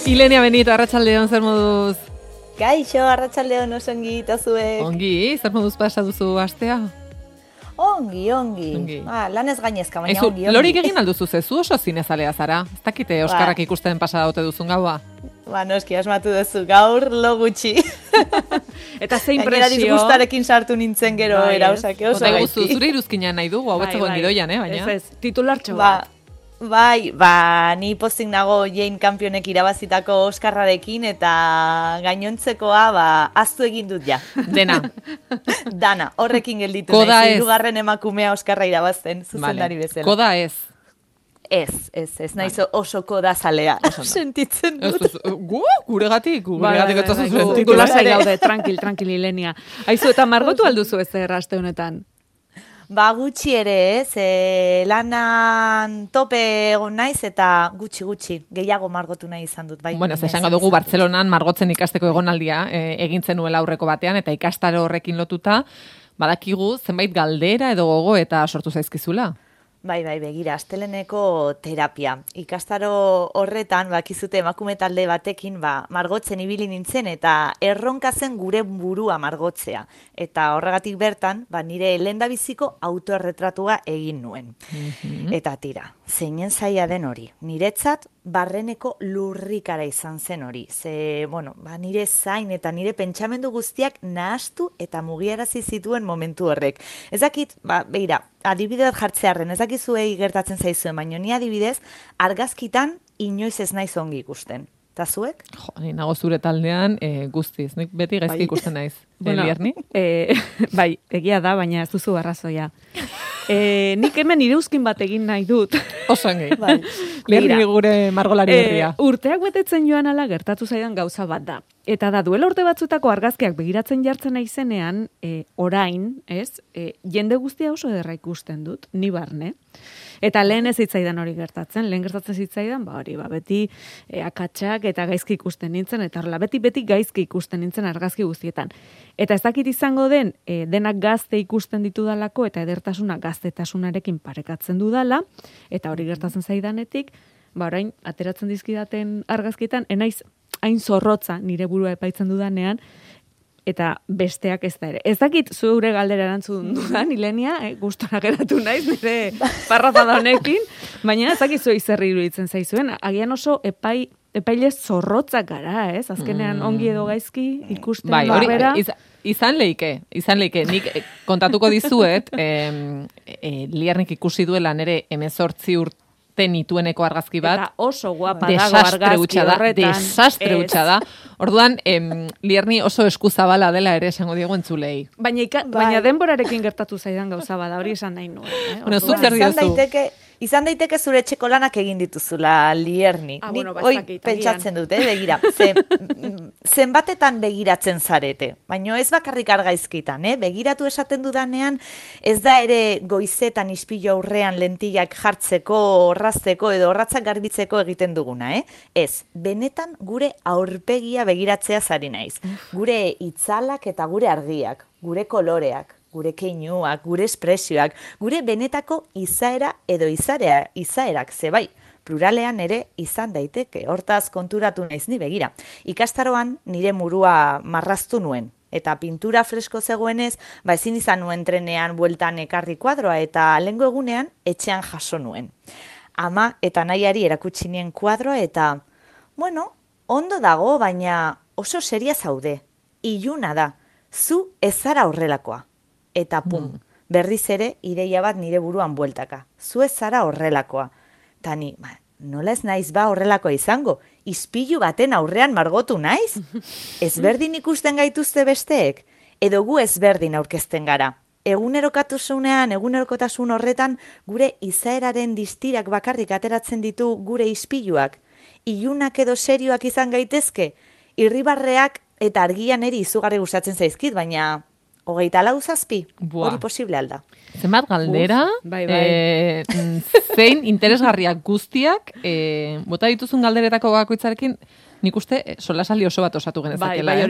Ilenia Benito, arratsaldeon, zer moduz? Kaixo, arratsaldeon oso ongi, eta zuek? Ongi, zer moduz pasa duzu astea? Ongi. Lanez gainezka, baina ongi. Lorik egin alduzu zezu oso zinezalea zara? Ez dakite Oskarrak ikusten pasa daute duzun gaua? Noski, asmatu duzu, gaur lo gutxi. Eta ze impresio? Gainera disgustarekin sartu nintzen gero erausake oso gaizki. Zure iruzkina nahi dugu, hau etzegoen gidoian, baina? Ez, titulartxo bat. Ni pozik nago Jane Campionek irabazitako Oskarrarekin eta gainontzekoa aztu egin dut ja. Dena. Dana, horrekin gelditu naiz. Hirugarren emakumea Oskarra irabazten, zuzendari bezala. Koda ez. Ez, naiz oso koda zalea. Sentitzen dut. Guregatik ez da zuen. Titulasai gaude, tranquil, Ilenia. Aizu, eta margotu alduzu ez aste honetan? Gutxi ere, ez, lanan tope egon naiz eta gutxi, gehiago margotu nahi izan dut. Bueno, esango dugu Bartzelonan margotzen ikasteko egonaldia egintzen nuela aurreko batean, eta ikastaro horrekin lotuta, badakigu zenbait galdera edo gogo eta sortu zaizkizula. Bai, begira, asteleneko terapia. Ikastaro horretan, bakizute emakume talde batekin, margotzen ibili nintzen eta erronka zen gure burua margotzea. Eta horregatik bertan, nire lehendabiziko autoerretratua egin nuen. Eta tira, zeinen zaila den hori. Niretzat, barreneko lurrikara izan zen hori. Nire zain eta nire pentsamendu guztiak nahastu eta mugiarazi zituen momentu horrek. Ezakit, begira, adibidez jartzearren, ezakizuei gertatzen zaizuen, baina ni adibidez, argazkitan inoiz ez naiz ongi ikusten. Eta zuek? Ni nago zure taldean guztiz, nik beti gaizki ikusten naiz. Lierni? Bai, egia da, baina ez duzu arrazoia. Nik hemen ireuzkin bat egin nahi dut. Osongi. Lierni gure margolari berria. Urteak betetzen joan ala gertatu zaidan gauza bat da. Eta da, duela urte batzutako argazkiak begiratzen jartzen naizenean, orain, jende guztia oso ederra ikusten dut, ni barne. Eta lehen ez zitzaidan hori gertatzen, beti akatsak eta gaizki ikusten nintzen, eta horrela, beti gaizki ikusten nintzen argazki guztietan. Eta ez dakit izango den, denak gazte ikusten ditudalako, eta edertasuna gaztetasunarekin parekatzen dudala, eta hori gertatzen zaidanetik, orain, ateratzen dizkidaten argazkietan, enaiz hain zorrotza nire burua epaitzen dudanean, eta besteak ez da ere. Ez dakit zure galdera erantzun dudan, Ilenia, gustora geratu naiz, nire parrafada honekin, baina ez dakit zuei zer iruditzen zaizuen, agian oso epaile zorrotzak gara, ez? Azkenean ongi edo gaizki ikusten barbera. Izan leike. Nik kontatuko dizuet, Liernik ikusi duela nire 18 urte nitueneko argazki bat. Eta oso guapa dago argazki horretan. Desastre hutsa da. Orduan, Lierni oso eskuzabala dela ere esango diegu entzulei. Baina denborarekin gertatu zaidan gauza bada, hori esan nahi nuen. Bueno, zuk zer diozu? Izan daiteke zure etxeko lanak egin dituzula, Lierni. Pentsatzen dut, begira. Zenbatetan begiratzen zarete. Baina ez bakarrik argaizkitan, begiratu esaten dudanean, ez da ere goizetan ispilu aurrean lentillak jartzeko, orrazteko edo orratzak garbitzeko egiten duguna, Ez, benetan gure aurpegia begiratzea zari naiz. Gure itzalak eta gure argiak, gure koloreak, gure keinuak, gure espresioak, gure benetako izaera edo izaerak, zebai, pluralean ere izan daiteke, hortaz konturatu naiz ni begira. Ikastaroan nire murua marraztu nuen, eta pintura fresko zegoenez, ezin izan nuen trenean bueltan ekarri kuadroa, eta lehengo egunean etxean jaso nuen. Ama eta nahiari erakutsi nien kuadroa, eta, ondo dago, baina oso seria zaude, iluna da, zu ez zara horrelakoa. Eta berriz ere ideia bat nire buruan bueltaka. Zu ez zara horrelakoa. Ta ni, nola ez naiz horrelakoa izango? Ispilu baten aurrean margotu naiz? Ezberdin ikusten gaituzte besteek? Edo gu ezberdin aurkezten gara? Egunerokotasun horretan gure izaeraren distirak bakarrik ateratzen ditu gure ispiluak. Ilunak edo serioak izan gaitezke? Irribarreak eta argian eri izugarri gustatzen zaizkit, baina 24 hori posible alda. Zenbat galdera, zein interesgarriak guztiak, bota dituzun galderetako bakoitzarekin, nik uste solasali oso bat osatu genezakela. Bai,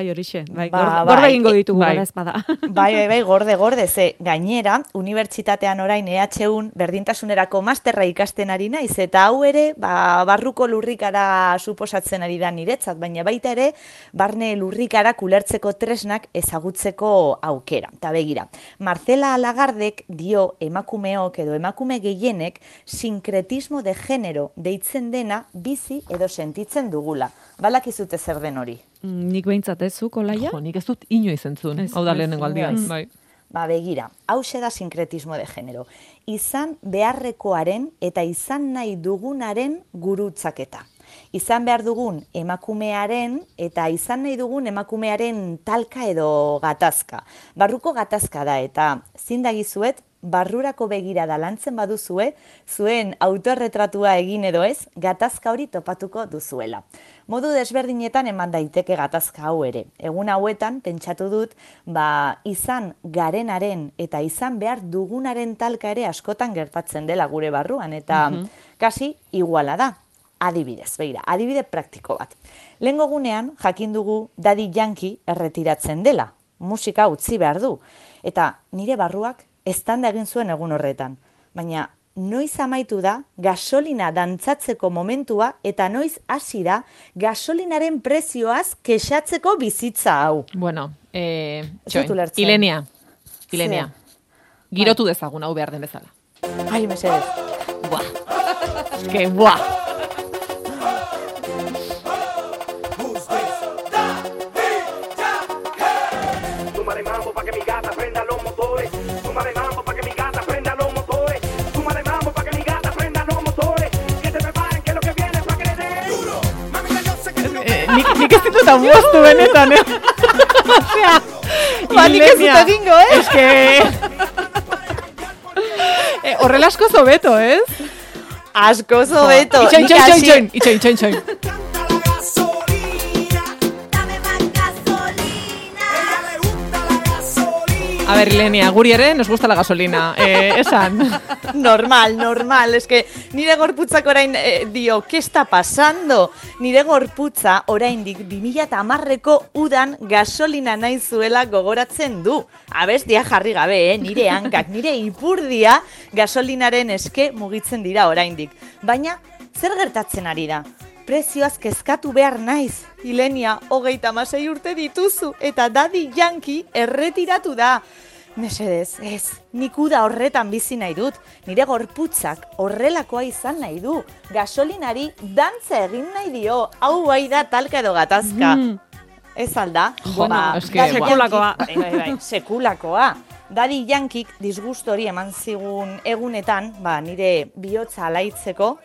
horixe. Gorde egingo ditugu, gara ezpada. Bai, gorde, ze gainera, unibertsitatean orain EHUn berdintasunerako masterra ikasten ari naiz, eta hau ere, barruko lurrikara suposatzen ari da niretzat, baina baita ere, barne lurrikara ulertzeko tresnak ezagutzeko aukera. Ta begira, Marcela Lagardek dio emakumeok edo emakume gehienek sinkretismo de genero deitzen dena bizi edo sentitzen dugula. Balakizute zer den hori? Nik behintzat ez zu, Olaia? Nik ez dut inoiz entzun, hau da lehenengo aldia. Bai. Begira, hauxe da sinkretismo de genero. Izan beharrekoaren eta izan nahi dugunaren gurutzaketa. Izan behar dugun emakumearen eta izan nahi dugun emakumearen talka edo gatazka. Barruko gatazka da eta zindagizuet, barrurako begirada lantzen baduzue, zuen autorretratua egin edo ez, gatazka hori topatuko duzuela. Modu desberdinetan eman daiteke gatazka hau ere. Egun hauetan, pentsatu dut, izan garenaren eta izan behar dugunaren talka ere askotan gertatzen dela gure barruan, eta kasi iguala da. Adibidez, begira, adibide praktiko bat. Lehengo gunean, jakin dugu Daddy Yankee erretiratzen dela. Musika utzi behar du. Eta nire barruak eztanda egin zuen egun horretan. Baina noiz amaitu da gasolina dantzatzeko momentua eta noiz hasi da gasolinaren prezioaz kexatzeko bizitza hau. Bueno, Ilenia. Girotu dezagun hau behar den bezala. Ai, mesedez. Buah. Que buah. Nik ez ditut amuaztu benetan, Osea, nik ez dut egingo, Es que... Horrela asko zobeto, ez? Asko zobeto. Itxoin. A ver, Ilenia, guri ere nos gusta la gasolina. Esan. Normal. Es que nire gorputzak orain dio, ¿qué está pasando? Nire gorputza oraindik 2010ko udan gasolina nahi zuela gogoratzen du. Abestia jarri gabe, nire hankak, nire ipurdia gasolinaren eske mugitzen dira oraindik. Baina, zer gertatzen ari da? Prezioaz kezkatu behar naiz. Ilenia, 36 urte dituzu eta Daddy Yankee erretiratu da. Mesedez, ez, nik uda horretan bizi nahi dut. Nire gorputzak horrelakoa izan nahi du. Gasolinari dantza egin nahi dio. Hau bai da talka edo gatazka. Ez alda? Sekulakoa. Bai, sekulakoa. Daddy Yankee disgustu hori eman zigun egunetan, nire bihotza alaitzeko,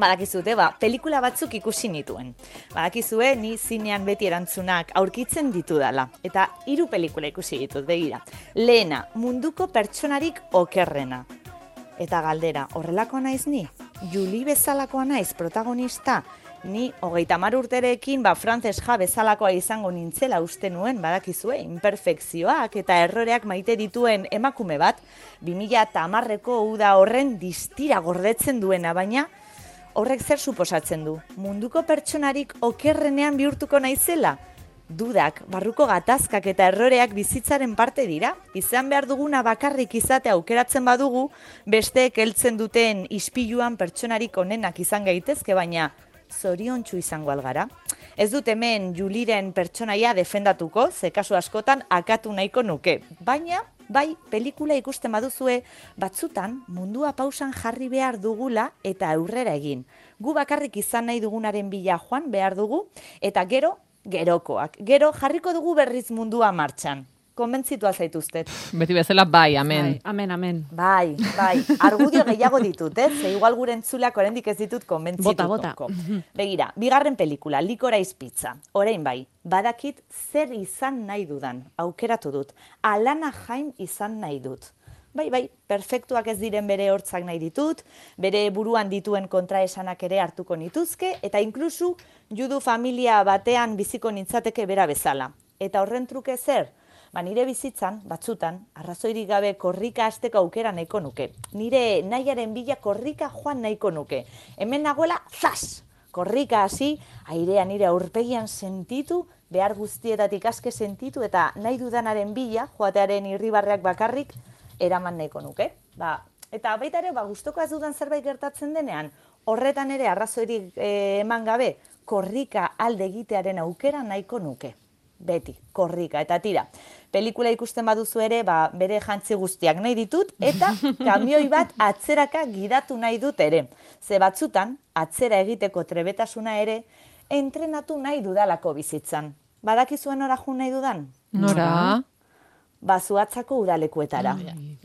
badakizute, pelikula batzuk ikusi nituen. Badakizue, ni zinean beti erantzunak aurkitzen ditudala. Eta 3 pelikula ikusi ditut, begira. Lehena, munduko pertsonarik okerrena. Eta galdera, horrelakoa naiz ni? Julie bezalakoa naiz protagonista? Ni 30 urterekin Frances Ha bezalakoa izango nintzela uste nuen, badakizue, imperfekzioak eta erroreak maite dituen emakume bat, 2010ko uda horren distira gordetzen duena, baina horrek zer suposatzen du? Munduko pertsonarik okerrenean bihurtuko naizela? Dudak, barruko gatazkak eta erroreak bizitzaren parte dira. Izan behar duguna bakarrik izatea aukeratzen badugu, besteek heltzen duten ispiluan pertsonarik onenak izan gaitezke, baina zoriontsu izango algara. Ez dut hemen Juliren pertsonaia defendatuko, ze kasu askotan akatu nahiko nuke. Baina, bai, pelikula ikusten baduzue, batzutan mundua pausan jarri behar dugula eta aurrera egin. Gu bakarrik izan nahi dugunaren bila joan behar dugu, eta gerokoak. Gero jarriko dugu berriz mundua martxan. Konbentzitu zaituztet. Beti bezala, bai, amen. Amen. Bai. Argudio gehiago ditut, ze igual gure entzuleak oraindik ez ditut konbentzituko. Bota. Begira, 2. pelikula, Licorice Pizza. Orain bai, badakit zer izan nahi dudan. Aukeratu dut. Alana Haim izan nahi dut. Bai, perfektuak ez diren bere hortzak nahi ditut, bere buruan dituen kontraesanak ere hartuko nituzke, eta inklusu judu familia batean biziko nintzateke bera bezala. Eta horren truke zer? Nire bizitzan, batzutan, arrazoirik gabe korrika hasteko aukera nahiko nuke. Nire nahiaren bila korrika joan nahiko nuke. Hemen nagoela, zas! korrika hasi, airea nire aurpegian sentitu, behar guztietatik aske sentitu, eta nahi dudanaren bila, joatearen irribarreak bakarrik, eraman nahiko nuke. Eta baita ere, gustoko ez dudan zerbait gertatzen denean, horretan ere arrazoirik eman gabe, korrika alde egitearen aukera nahiko nuke. Beti, korrika, eta tira. Pelikula ikusten baduzu ere, bere jantzi guztiak nahi ditut, eta kamioi bat atzeraka gidatu nahi dut ere. Ze batzutan, atzera egiteko trebetasuna ere, entrenatu nahi dudalako bizitzan. Badakizuen nora jun nahi dudan? Nora? Zuhatzako udalekuetara.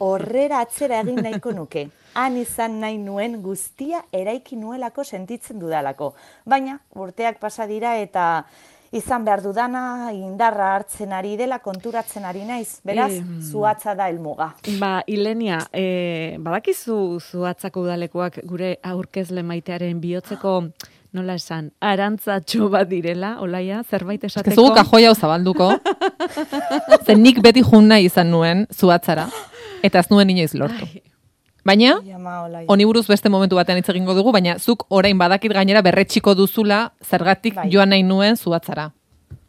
Horrera atzera egin nahiko nuke. Han izan nahi nuen guztia eraiki nuelako sentitzen dudalako. Baina, urteak pasa dira eta izan behar dudana, indarra hartzen ari dela, konturatzen ari naiz. Beraz, zuhatza da helmuga. Ilenia, badakizu zuhatzako udalekuak gure aurkezle maitearen bihotzeko, nola esan, arantzatxo bat direla, olaia, zerbait esateko? Zugu kajoia zabalduko. Zen nik beti jun nahi izan nuen zuhatzara, eta ez nuen inoiz lortu. Baina, honi buruz beste momentu batean hitz egingo dugu, baina zuk orain badakit gainera berretxiko duzula zergatik joan nahi nuen zuhatzara.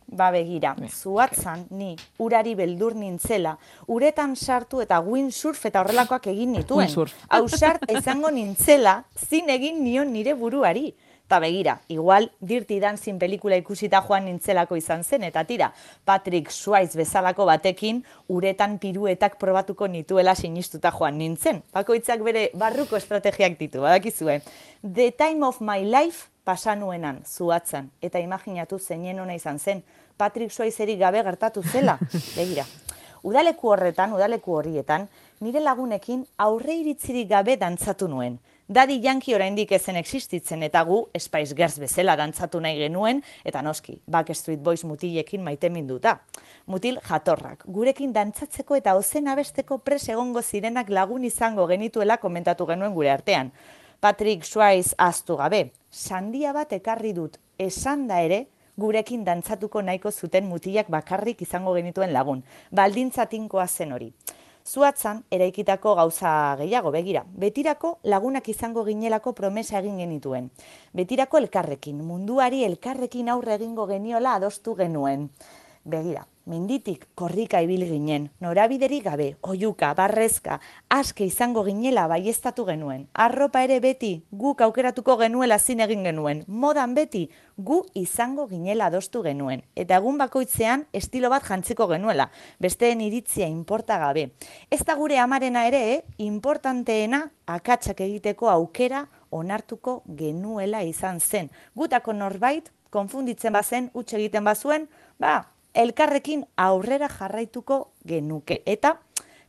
Begira, zuhatzan ni urari beldur nintzela, uretan sartu eta windsurf eta horrelakoak egin nituen. Ausart izango nintzela, zin egin nion nire buruari. Eta begira, igual Dirty Dancing pelikula ikusita joan nintzelako izan zen, eta tira, Patrick Swayze bezalako batekin uretan piruetak probatuko nituela sinistuta joan nintzen. Bakoitzak bere barruko estrategiak ditu, badakizue. The Time of My Life pasanuenan, zuhatzan, eta imaginatu zeinen ona izan zen, Patrick Swayzerik gabe gertatu zela. Begira, udaleku horietan, nire lagunekin aurre iritzirik gabe dantzatu nuen. Daddy Yankee oraindik ezen existitzen eta gu Spice Girls bezala dantzatu nahi genuen, eta noski, Backstreet Boys mutilekin maiteminduta. Mutil jatorrak, gurekin dantzatzeko eta ozen abesteko pres egongo zirenak lagun izango genituela komentatu genuen gure artean. Patrick Swayze ahaztu gabe, sandia bat ekarri dut, esan da ere, gurekin dantzatuko nahiko zuten mutilak bakarrik izango genituen lagun. Baldintza tinkoa zen hori. Zuhatzan, eraikitako gauza gehiago, begira. Betirako lagunak izango ginelako promesa egin genituen. Betirako elkarrekin, munduari elkarrekin aurre egingo geniola adostu genuen. Begira, menditik korrika ibil ginen, norabiderik gabe, oihuka, barrezka, aske izango ginela baieztatu genuen. Arropa ere beti, guk aukeratuko genuela zin egin genuen. Modan beti, gu izango ginela adostu genuen. Eta egun bakoitzean estilo bat jantziko genuela, besteen iritzia inporta gabe. Ez da gure amarena ere, importanteena akatsak egiteko aukera onartuko genuela izan zen. Gutako norbait, konfunditzen bazen, huts egiten bazuen, elkarrekin aurrera jarraituko genuke. Eta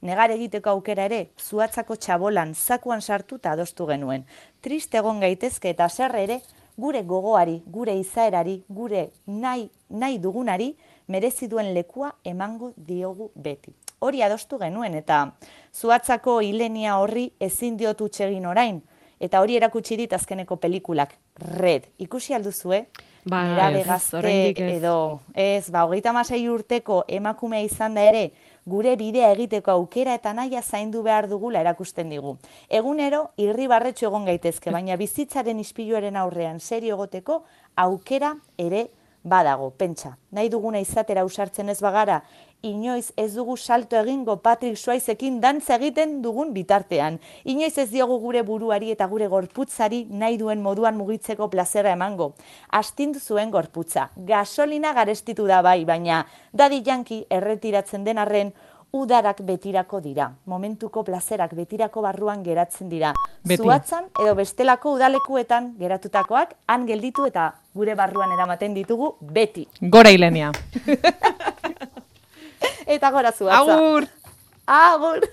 negar egiteko aukera ere, zuhatzako txabolan zakuan sartu eta adostu genuen. Triste egon gaitezke eta zer ere, gure gogoari, gure izaerari, gure nahi dugunari, merezi duen lekua emango diogu beti. Hori adostu genuen eta zuhatzako Ilenia horri ezin diotu utxegin orain. Eta hori erakutsi dit azkeneko pelikulak. Red, ikusi alduzue? Nerabe gazte edo, 36 urteko emakumea izan da ere, gure bidea egiteko aukera eta nahia zaindu behar dugula erakusten digu. Egunero, irribarretxo egon gaitezke, baina bizitzaren ispiluaren aurrean serio egoteko aukera ere badago, pentsa. Nahi duguna izatera ausartzen ez bagara, inoiz ez dugu salto egingo Patrick Swayzeekin dantza egiten dugun bitartean. Inoiz ez diogu gure buruari eta gure gorputzari nahi duen moduan mugitzeko plazera emango. Astindu zuen gorputza. Gasolina garestitu da bai, baina Daddy Yankee erretiratzen den arren udarak betirako dira. Momentuko plazerak betirako barruan geratzen dira. Zuhatzan edo bestelako udalekuetan geratutakoak han gelditu eta gure barruan eramaten ditugu beti. Gora Ilenia. Eta gora zuhatza. Agur! Agur!